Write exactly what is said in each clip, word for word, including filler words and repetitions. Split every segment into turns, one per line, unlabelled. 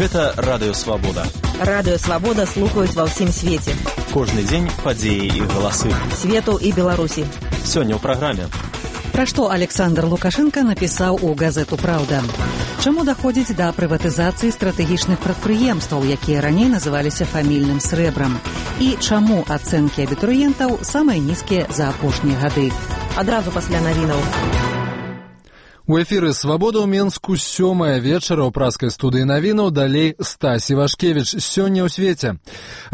Гэта Радыё Свабода.
Радыё Свабода слухаюць ва ўсім свеце.
Кожны дзень падзеі і галасы.
Свету і Беларусі.
Сёння ў праграме.
Пра што Александр Лукашенко напісаў у газету «Праўда». Чаму даходзіць да прыватызацыі стратэгічных прадпрыемстваў, якія раней называліся фамільным срэбрам? І чаму ацэнкі абітурыентаў самыя нізкія за апошнія гады?
Адразу пасля навінаў.
У эфіры «Свабода» ў Менску сёмая вечара ў праскай студыі навінаў, далей Стась Івашкевіч. Сёння ў свеце.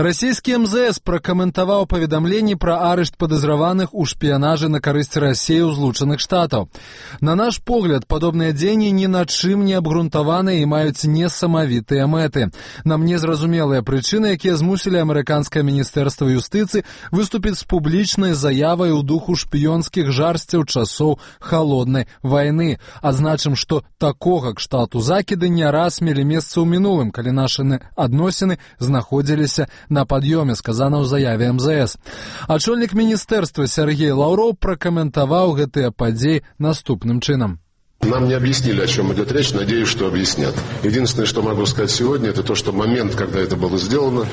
Расійскі эм зэ эс пракаментаваў паведамленні пра арышт падазраваных у шпіянажы на карысць Расіі ў Злучаных Штатаў. На наш погляд, падобныя дзеянні ні на чым не абгрунтаваныя і маюць несамавітыя мэты. Нам незразумелыя прычыны, якія змусілі амерыканскае міністэрства юстыцыі выступіць з публічнай заявай у духу шпіёнскіх жарсцяў часоў халоднай вайны. Адзначым, што такога кшталту закіды не раз мелі месца ў мінулым, калі нашы адносіны знаходзіліся на пад'ёме, сказана ў заяве эм зэ эс. Ачольнік міністэрства Сергей Лаўроў пракаментаваў гэтыя падзеі наступным чынам.
Нам не объяснили, о чем идет речь, надеюсь, что объяснят. Единственное, что могу сказать сегодня, это то, что момент, когда это было сделано,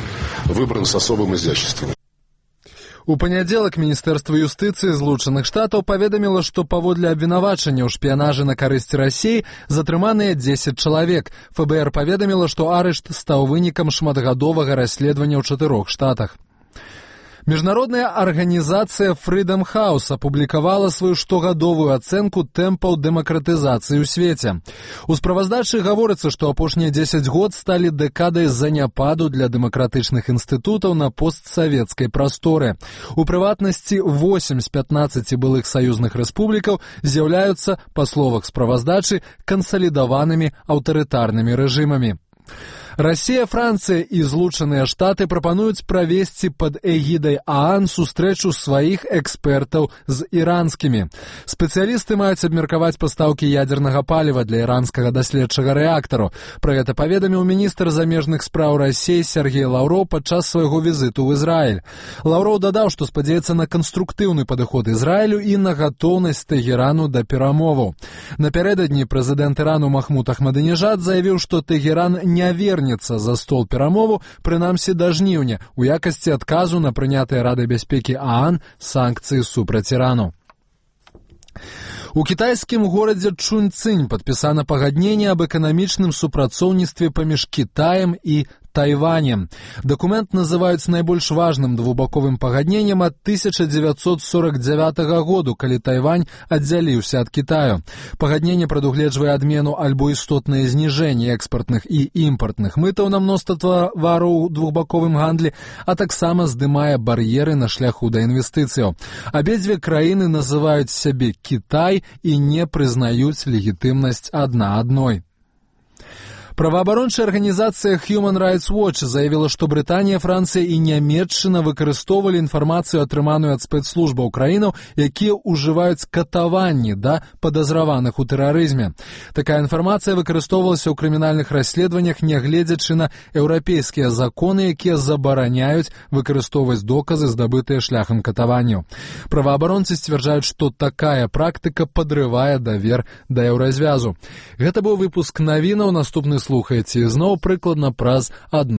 выбран с особым изяществом.
У панядзелак Міністэрства юстыцыі Злучаных Штатаў паведаміла, што паводле абвінавачання ў шпіянажы на карысць Расіі затрыманыя дзесяць чалавек. эф бэ эр паведаміла, што арышт стаў вынікам шматгадовага расследавання ў чатырох штатах. Міжнародная арганізацыя Freedom House апублікавала сваю штогадовую ацэнку тэмпаў дэмакратызацыі ў свеце. У справаздачы гаворыцца, што апошнія дзесяць год сталі дэкадай заняпаду для дэмакратычных інстытутаў на постсавецкай прасторы. У прыватнасці, восем з пятнаццаці былых саюзных рэспублікаў з'яўляюцца, па словах справаздачы, кансалідаванымі аўтарытарнымі рэжымамі. Расія, Францыя і Злучаныя Штаты прапануюць правесці пад эгідай ААН сустрэчу сваіх экспертаў з іранскімі. Спецыялісты маюць абмеркаваць пастаўкі ядзернага паліва для іранскага даследчага рэактару. Пра гэта паведаміў міністр замежных спраў Расіі Сергей Лаўроў падчас свайго візіту ў Ізраіль. Лаўроў дадаў, што спадзяецца на канструктыўны падыход Ізраілю і на гатоўнасць Тэгерану да перамоваў. Напярэдадні прэзідэнт Ірану Махмуд Ахмадынежад заявіў, што Тэгеран не верне за стол перамову, прынамсі да жніўня, у якасці адказу на прынятыя Радай бяспекі ААН санкцыі супраць Ірану. У кітайскім горадзе Чунцзінь падпісана пагадненне аб эканамічным супрацоўніцтве паміж Кітаем і Тайванем. Дакумент называюць найбольш важным двухбаковым пагадненнем ад тысяча дзевяцьсот сорок дзявятага году, калі Тайвань аддзяліўся ад Кітаю. Пагадненне прадугледжвае адмену альбо істотнае зніжэнне экспартных і імпартных мытаў на мноства тавараў у двухбаковым гандлі, а таксама здымае бар'еры на шляху да інвестыцыяў. Абедзве краіны называюць сябе Кітай і не прызнаюць легітымнасць адна адной. Праваабарончая арганізацыя Human Rights Watch заявіла, што Брытанія, Францыя і Нямецчына выкарыстоўвалі інфармацыю, атрыманую ад спецслужбаў краінаў, якія ўжываюць катаванні да падазраваных у тэрарызме. Такая інфармацыя выкарыстоўвалася ў крымінальных расследаваннях, нягледзячы на еўрапейскія законы, якія забараняюць выкарыстоўваць доказы, здабытыя шляхам катаванняў. Праваабаронцы сцвярджаюць, што такая практыка падрывае давер да еўразвязу. Гэта быў выпуск навінаў, наступны слухаеце ізноў прыкладна праз адну